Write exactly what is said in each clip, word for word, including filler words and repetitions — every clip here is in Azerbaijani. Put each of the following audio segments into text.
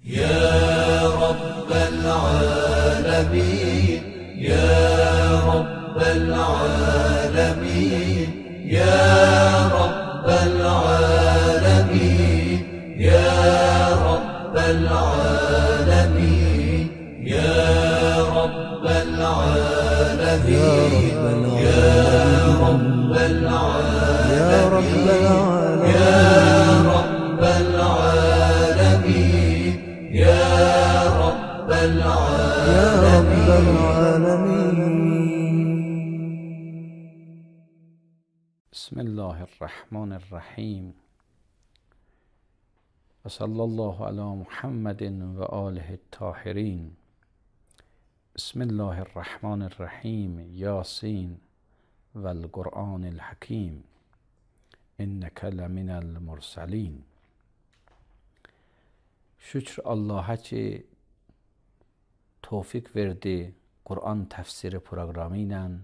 يا رب العالمين يا رب العالمين يا رب العالمين يا رب العالمين يا رب العالمين يا رب العالمين يا رب العالمين يا رب العالمين يا رب العالمين. بسم الله الرحمن الرحیم و صلی الله علی محمد و آله الطاهرین. بسم الله الرحمن الرحیم. یاسین و القرآن الحکیم انک لمن المرسلین. Şükür Allah'a ki tövfik verdi Quran təfsiri proqramı ilə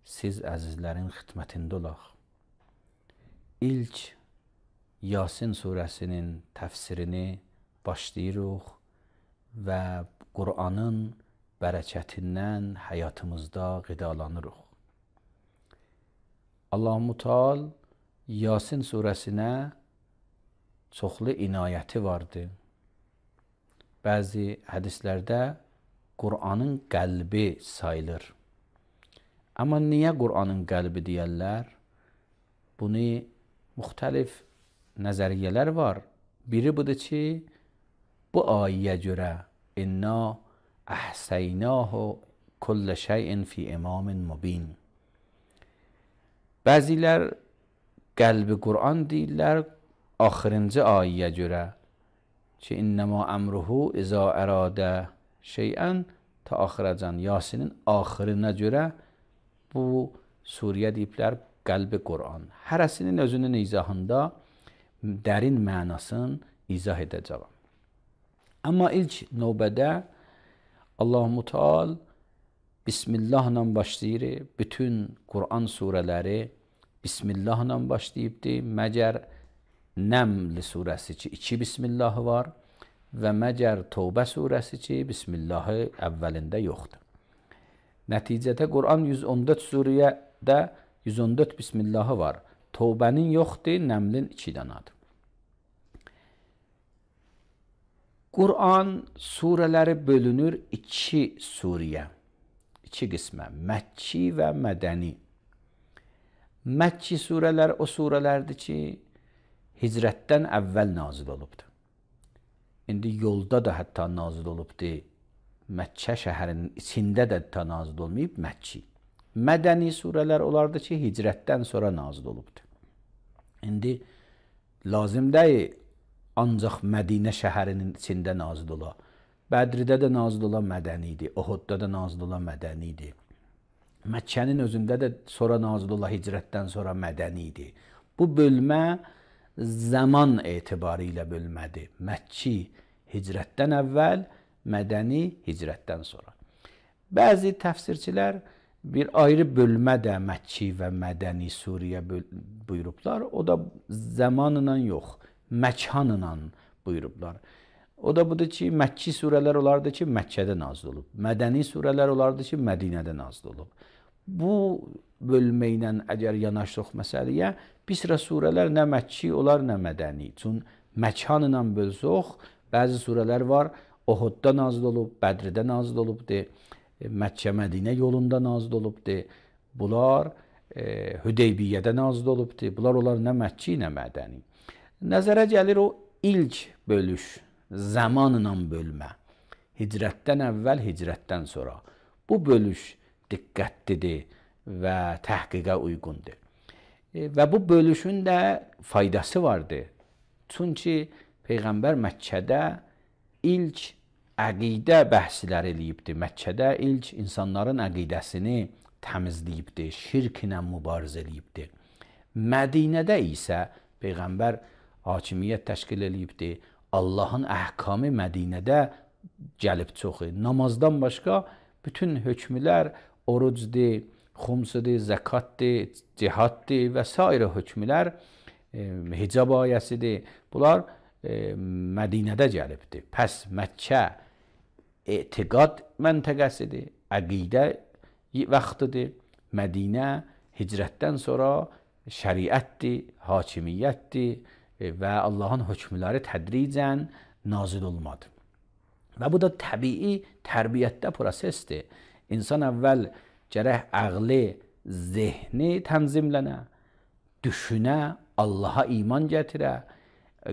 siz əzizlərin xidmətində olaq. İlk Yasin surəsinin təfsirini başlayırıq və Quranın bərəkətindən həyatımızda qidalanırıq. Allah-u Teala Yasin surəsinə çoxlu inayəti vardı. Bəzi hədislərdə Quranın qəlbi sayılır. Amma niyə Quranın qəlbi deyərlər? Bunu müxtəlif nəzəriyyələr var. Biri budur ki, bu ayəyə görə inna əhsəynahu kullə şeyin fi imamin mubin. Bəzilər qəlbi Quran deyirlər axırıncı ayəyə görə ki innəmə əmruhu izə əradə şeyən ta axıracan. Yasinin axırına görə bu surəyə deyiblər qəlbi Quran. Hərəsinin özünün izahında dərin mənasını izah edəcəm. Amma ilk növbədə Allah-u Teala Bismillahla başlayır. Bütün Quran surələri Bismillahla başlayıbdır. Məgər Nəml surəsi ki iki Bismillahı var və məgər Tövbə surəsi ki Bismillahı əvvəlində yoxdur. Nəticədə Quran yüz on dörd surədə yüz on dörd Bismillahı var. Tövbənin yoxdur, Nəmlin iki danadır. Quran surələri bölünür iki surəyə, iki qismə, Məkki və Mədəni. Məkki surələr o surələrdir ki hicrətdən əvvəl nazil olubdur. İndi yolda da hətta nazil olubdur. Məkkə şəhərinin içində də hətta nazil olmayıb Məkki. Mədəni surələr olardı ki hicrətdən sonra nazil olubdur. İndi lazım deyil ancaq Mədinə şəhərinin içində nazil ola. Bədridə də nazil ola mədənidir. Uhudda da nazil ola mədənidir. Məkkənin özündə də sonra nazil ola hicrətdən sonra mədənidir. Bu bölmə zaman etibarı ilə bölmədir. Məkki hicrətdən əvvəl, mədəni hicrətdən sonra. Bəzi təfsirçilər bir ayrı bölmə də Məkki və mədəni surəyə buyurublar. O da zamanla yox, məkanla buyurublar. O da budur ki, Məkki surələr olardı ki, Məkkədə nazil olub. Mədəni surələr olardı ki, Mədinədə nazil olub. Bu bölmə ilə əgər yanaşdıq məsələyə, bir sıra surələr nə Məkki olar, nə mədəni. Çün məkanla bölsək, bəzi surələr var, Uhudda nazil olub, Bədridə nazil olubdur, Məkkə Mədinə yolunda nazil olubdur. Bunlar e, Hüdeybiyyədə nazil olubdur. Bunlar olar nə Məkki, nə mədəni. Nəzərə gəlir o ilk bölüş, zamanla bölmə. Hicrətdən əvvəl, hicrətdən sonra. Bu bölüş diqqətlidir və təhqiqə uyğundur. E, və bu bölüşün də faydası vardır. Çünki Peyğəmbər Məkkədə ilk əqidə bəhslər eləyibdir. Məkkədə ilk insanların əqidəsini təmizləyibdir, şirklə mübarizə eləyibdir. Mədinədə isə Peyğəmbər hakimiyyət təşkil eləyibdir. Allahın əhkamı Mədinədə gəlib çoxu. Namazdan başqa bütün hökmlər orucdur, xumsudur, zəkatdır, cihaddır və s. hökmlər, e, hicab ayəsidir. Bunlar e, Mədinədə gəlibdir. Pəs Məkkə etiqad məntəqəsidir, əqidə vaxtıdır. Mədinə hicrətdən sonra şəriətdir, hakimiyyətdir və Allahın hökmləri tədricən nazil olmadı. Və bu da təbii tərbiyyətdə prosesdir. İnsan əvvəl gərək əqli, zehni tənzimlənə, düşünə, Allaha iman gətirə,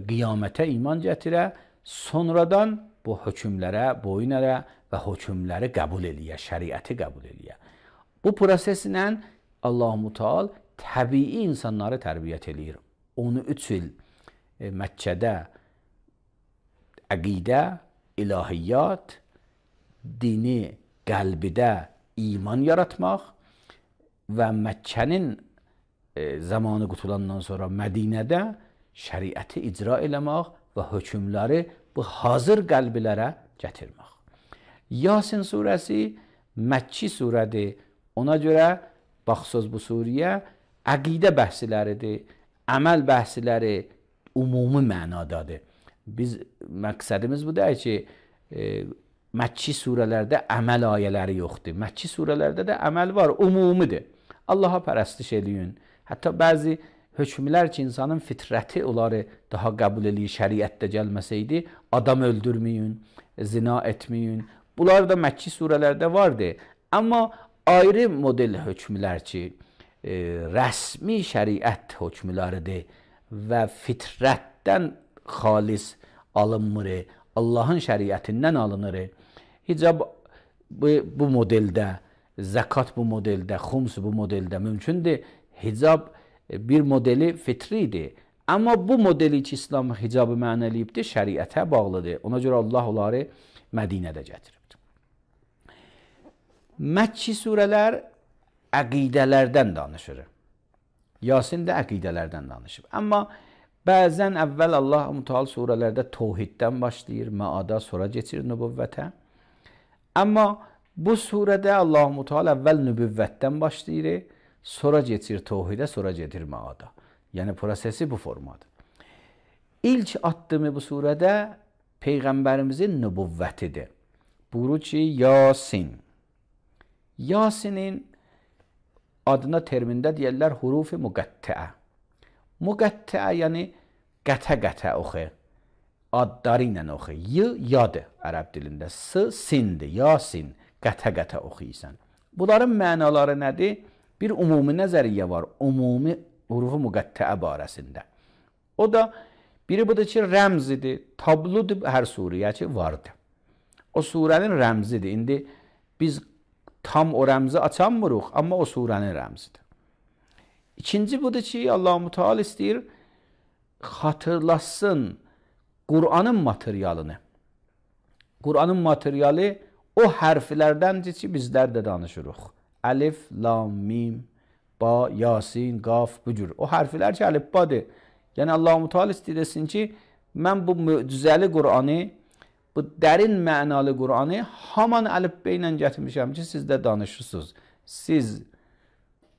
qiyamətə iman gətirə, sonradan bu hökmlərə boyun ələ və hökmləri qəbul eləyə, şəriəti qəbul eləyə. Bu proseslə Allah-u Teala təbii insanları tərbiyyət eləyir. on üç il e, Məkkədə əqidə, ilahiyyat, dini qəlbidə iman yaratmaq və Məkkənin e, zamanı qutulandan sonra Mədinədə şəriəti icra eləmək və hökmləri bu hazır qəlbilərə gətirmək. Yasin surəsi Məkki surədir. Ona görə baxsız bu surəyə əqidə bəhsləridir, əməl bəhsləri ümumi mənadadır. Biz məqsədimiz bu deyil ki, e, Məkki surələrdə əməl ayələri yoxdur. Məkki surələrdə də əməl var, ümumidir. Allaha pərəstiş eləyin. Hətta bəzi hökmlər ki, insanın fitrəti onları daha qəbul eləyir, şəriətdə gəlməsəydi, adam öldürməyin, zina etməyin. Bunlar da Məkki surələrdə vardır. Amma ayrı model hökmlər ki, e, rəsmi şəriət hökmləridir və fitrətdən xalis alınmır, Allahın şəriətindən alınır. Hicab bu, bu modeldə, zəkat bu modeldə, xums bu modeldə mümkündür. Hicab bir modeli fitridir. Amma bu modeli ki, İslam hicabı mənə eləyibdir, şəriətə bağlıdır. Ona görə Allah onları Mədinədə gətiribdir. Məkki surələr əqidələrdən danışır. Yasin də əqidələrdən danışır. Amma bəzən əvvəl Allah-u Teala surələrdə təvhiddən başlayır, Maada sonra keçir nübüvvətə. Amma bu surədə Allah-u Teala əvvəl nübüvvətdən başlayır, sonra keçir təvhidə, sonra gedir Maada. Yəni prosesi bu formadır. İlk addımı bu surədə Peyğəmbərimizin nübüvvətidir. Buyurur ki, Yasin. Yasinin adına termində deyərlər hurufi müqəttəə. Müqəttəə yəni qətə-qətə oxu. Adları ilə oxu. Y, yadır ərəb dilində. S, sindir. Yasin. Qətə-qətə oxuyursan. Bunların mənaları nədir? Bir ümumi nəzəriyyə var. Ümumi hurufu müqəttəə barəsində. O da biri budur ki, rəmzidir. Tabludur hər surəyə ki, vardır. O surənin rəmzidir. İndi biz tam o rəmzi açanmırıq, amma o surənin rəmzidir. İkinci budur ki, Allah-u Teala istəyir, xatırlasın Qur'anın materialını. Qur'anın materialı o hərflərdəndir ki, bizlər də danışırıq. Əlif, lam, mim, ba, yasin, qaf, bu cür. O hərflər ki, əlifbadır. Yəni Allah-u Teala istəyir desin ki, mən bu möcüzəli Qur'anı, bu dərin mənalı Qur'anı haman əlifbə ilə gətirmişəm ki, siz də danışırsınız. Siz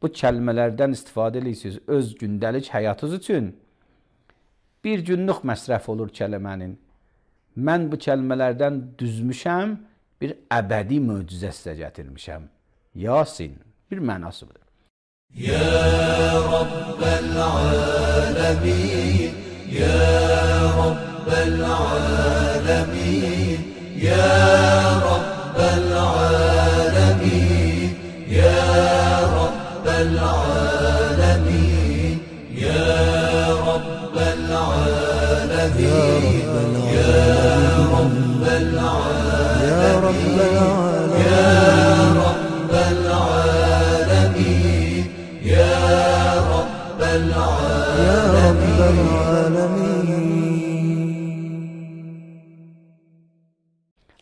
bu kəlmələrdən istifadə edirsiniz öz gündəlik həyatınız üçün. Bir günlük məsrəf olur kəlmənin. Mən bu kəlmələrdən düzmüşəm, bir əbədi möcüzə sizə gətirmişəm. Yasin, bir mənası budur. Ya Rabbel alemin, Ya Rabbel alemin, Ya Rabbel alemin, Ya Rabbel alemin, Ya Rabbel alemin, Ya Rabbel alemin, Ya Rabbel alemin, Ya Rabbel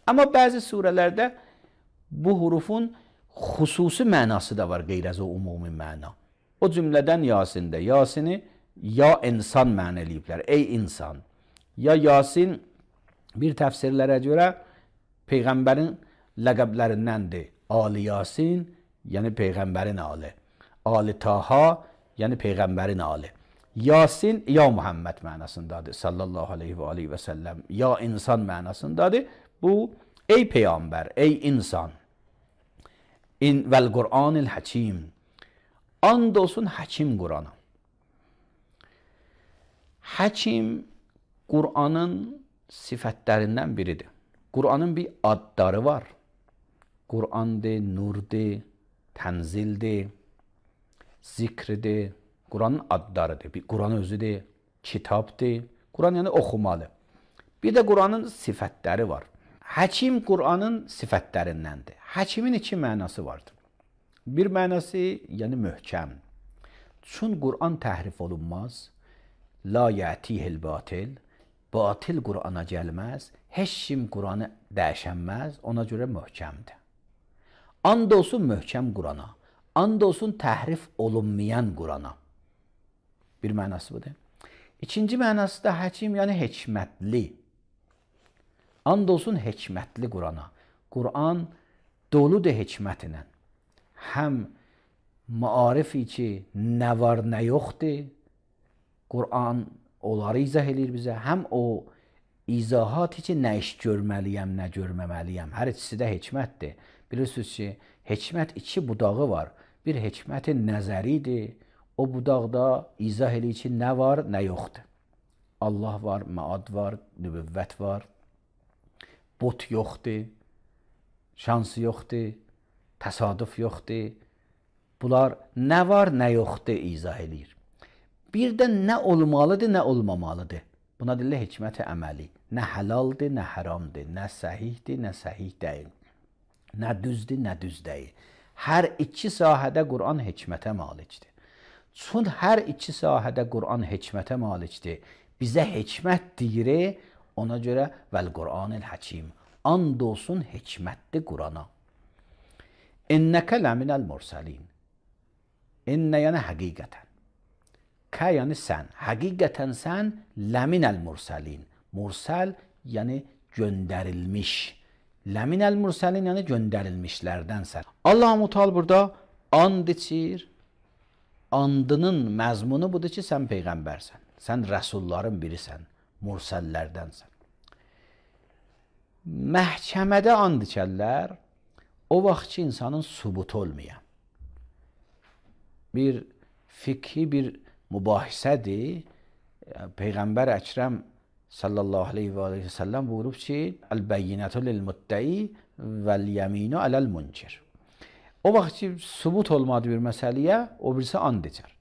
Amma bəzi surələrdə bu hurufun xüsusi mənası da var, qeyr az o ümumi məna. O cümlədən Yasində. Yasini ya insan mənə eləyiblər, ey insan. Ya Yasin bir təfsirlərə görə Peyğəmbərin ləqəblərindəndir. Ali Yasin, yəni Peyğəmbərin ali. Ali Taha, yəni Peyğəmbərin ali. Yasin ya Muhammed mənasındadır sallallahu aleyhi və aleyhi və səlləm. Ya insan mənasındadır. Bu ey peyğəmbər, ey insan. İn vəl Qur'anil Həkim. And olsun Həkim Qur'ana. Həkim Qur'anın sifətlərindən biridir. Qur'anın bir adları var. Qur'andır, nurdur, tənzildir, zikridir. Qur'anın adlarıdır. Bir Qur'an özüdür, kitabdır. Qur'an yəni oxumalı. Bir də Qur'anın sifətləri var. Həkim Qur'anın sifətlərindəndir. Həkimin iki mənası vardır. Bir mənası yəni möhkəm. Çün Qur'an təhrif olunmaz. La yətihil batil. Batil Qur'ana gəlməz. Heç kim Qur'anı dəyişənməz. Ona görə möhkəmdir. And olsun möhkəm Qur'ana. And olsun təhrif olunmayan Qur'ana. Bir mənası budur. İkinci mənası da həkim, yəni hikmətli. And olsun hikmətli Qur'ana. Qur'an doludur hikmətlə. Həm maarifi ki, nə var, nə yoxdur. Qur'an onları izah edir bizə. Həm o izahat ki, nə iş görməliyəm, nə görməməliyəm. Hər ikisi də hikmətdir. Bilirsiniz ki, hikmət iki budağı var. Bir hikmətin nəzəridir. O budaqda izah edir ki, nə var, nə yoxdur. Allah var, məad var, nübüvvət var. Bot yoxdur, şansı yoxdur, təsadüf yoxdur. Bunlar nə var, nə yoxdur izah edir. Bir də nə olmalıdır, nə olmamalıdır. Buna deyirlər hikmət-i əməli. Nə həlaldır, nə haramdır, nə səhihdir, nə səhih deyil. Nə düzdür, nə düz deyil. Hər iki sahədə Qur'an hikmətə malikdir. Çün hər iki sahədə Qur'an hikmətə malikdir. Bizə hikmət deyir, ona görə vəl Qur'anil Həkim. And olsun hikmətli Qur'ana. İnnəkə ləminəl mursəlin. İnnə yəni həqiqətən. Kə yəni sən. Həqiqətən sən ləminəl mursəlin. Mursəl yəni göndərilmiş. Ləminəl mursəlin yəni göndərilmişlərdənsən. Allah-u Teala burada and içir. Andının məzmunu budur ki, sən peyğəmbərsən. Sən rəsulların birisən. Mursəllərdənsən. Məhkəmədə and içərlər. O vaxt ki, insanın sübut olmayan. Bir fikhi bir mübahisədir. Peyğəmbər Əkrəm sallallahu aleyhi və aleyhi və səlləm buyurub ki, Əl-bəyyinətü lil-muddəi vəl-yəminu aləl-münkir. O vaxt ki, sübut olmadı bir məsələyə, o birisi and içər.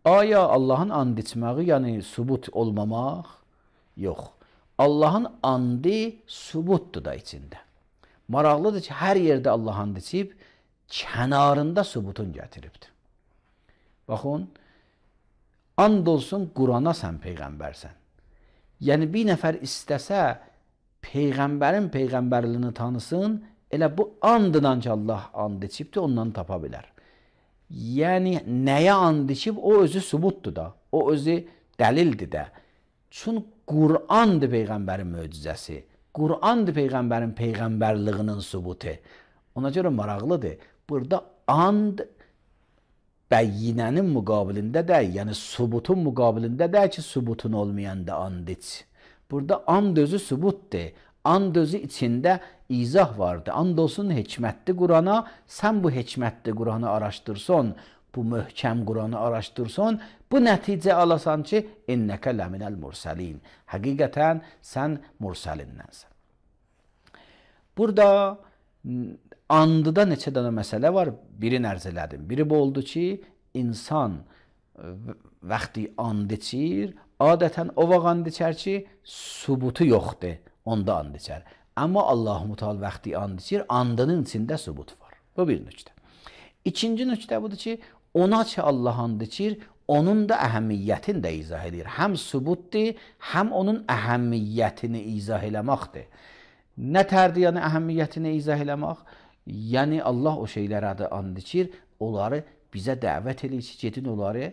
Aya Allahın and içməyi, yəni sübut olmamaq? Yox. Allahın andı sübutdur da içində. Maraqlıdır ki, hər yerdə Allah and içib, kənarında sübutun gətiribdir. Baxın, and olsun Qur'ana sən peyğəmbərsən. Yəni bir nəfər istəsə, peyğəmbərin peyğəmbərliyini tanısın, elə bu andından ki, Allah and içibdir, ondan tapa bilər. Yəni, nəyə and içib, o özü sübutdur da, o özü dəlildir də. Çün Qur'andır peyğəmbərin möcüzəsi, Qur'andır peyğəmbərin peyğəmbərliyinin sübutu. Ona görə maraqlıdır. Burada and bəyyinənin müqabilində deyil, yəni sübutun müqabilində deyil ki, sübutun olmayanda and iç. Burada and özü sübutdur. And özü içində izah vardır. And olsun hikmətli Qur'ana, sən bu hikmətli Qur'anı araşdırsan, bu möhkəm Qur'anı araşdırsan, bu nəticə alasan ki, innəkə ləminəl mursəlin. Həqiqətən sən mursəlindənsən. Burada andıda neçə dənə məsələ var, birini ərz elədim. Biri bu oldu ki, insan vaxtı and içir, adətən o vaxt and içər ki, sübutu yoxdur, onda and içər. Amma Allah-u Teala vaxtı and içir, andının içində sübut var. Bu bir nöqtə. İkinci nöqtə budur ki, ona ki Allah and içir, onun da əhəmiyyətini də izah edir. Həm sübutdur, həm onun əhəmiyyətini izah eləməkdir. Nə tərdir yəni əhəmiyyətini izah eləmək? Yəni Allah o şeylərə də and içir, onları bizə dəvət edir ki, gedin onları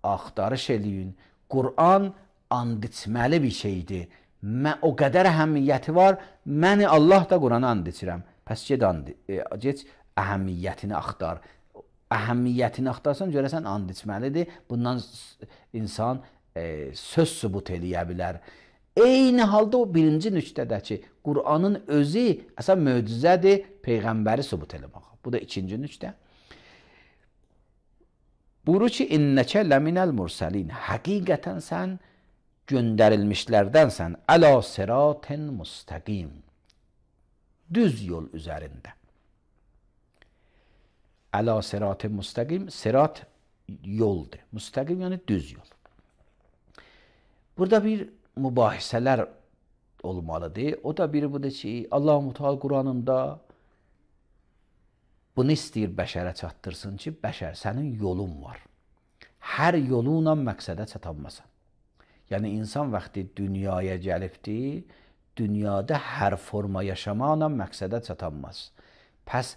axtarış eləyin. Qur'an and içməli bir şeydir. Mən, o qədər əhəmiyyəti var, məni Allah da Qur'ana and içirəm. Pəs ged, and, e, ged əhəmiyyətini axtar. əhəmiyyətini axtarsan, görəsən and içməlidir. Bundan insan e, söz sübut eləyə bilər. Eyni halda o birinci nüqtədəki Qur'anın özü əsən möcüzədir, Peyğəmbəri sübut eləmək. Bu da ikinci nüqtə. Buyurur ki, innəkə ləminəl mursəlin. Həqiqətən sən göndərilmişlərdənsən. Əla siratin müstəqim. Düz yol üzərində. Əla siratin müstəqim. Sirat yoldur. Müstəqim yəni düz yol. Burada bir mübahisələr olmalıdır. O da biri budur ki, Allah-u Teala Qur'anında bunu istəyir bəşərə çatdırsın ki, bəşər, sənin yolun var. Hər yolunla məqsədə çatanmasan. Yəni, insan vaxtı dünyaya gəlibdir, dünyada hər forma yaşamaqla məqsədə çatanmaz. Pəs,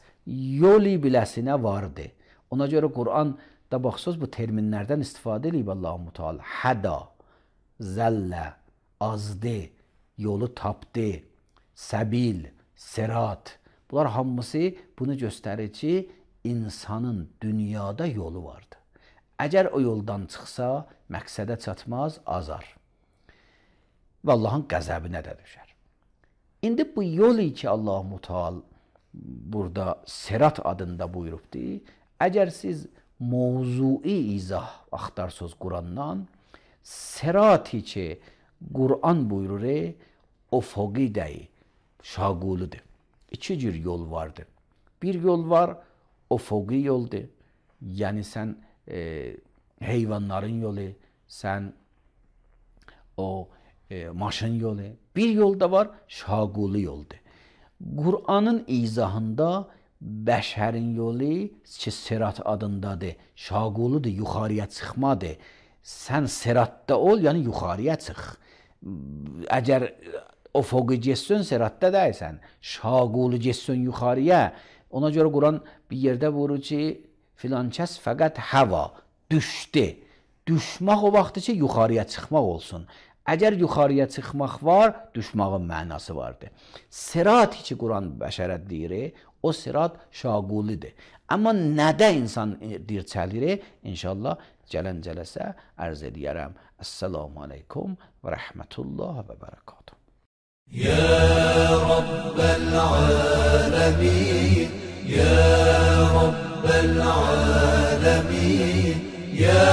yolu biləsinə vardır. Ona görə Qur'anda baxsız bu terminlərdən istifadə edib Allah-u Teala. Həda, zəllə, azdı, yolu tapdı, səbil, sirat. Bunlar hamısı bunu göstərir ki, insanın dünyada yolu vardır. Əgər o yoldan çıxsa, məqsədə çatmaz, azar. Və Allahın qəzəbinə də düşər. İndi bu yolu ki, Allah-u Teala burada sirat adında buyurubdur, əgər siz mövzui izah axtarsınız Qur'andan, sirati ki, Qur'an buyurur, ufuqi deyil, şaguludur. İki cür yol vardır. Bir yol var, ufuqi yoldur. Yəni sən e, heyvanların yolu, sən o e, maşın yolu. Bir yol da var, şagulu yoldur. Qur'anın izahında bəşərin yolu ki, sirat adındadır, şaguludur, yuxarıya çıxmadır. Sən siratda ol, yəni yuxarıya çıx. Əgər ufuqi getsən, siratda deyilsən, şagulu getsən yuxarıya. Ona görə Quran bir yerdə buyurur ki, filan kəs fəqət həva, düşdü. Düşmək o vaxtı ki, yuxarıya çıxmaq olsun. Əgər yuxarıya çıxmaq var, düşmağın mənası vardır. Sirat ki, Quran bəşərə deyir, o sirat şagulidir. Amma nədə insan dirçəlir, inşallah gələn cələsə ərz edərəm. Əssalamu aleykum və rəhmətullah və bərəkatuhu. يا رب العالمين يا رب العالمين يا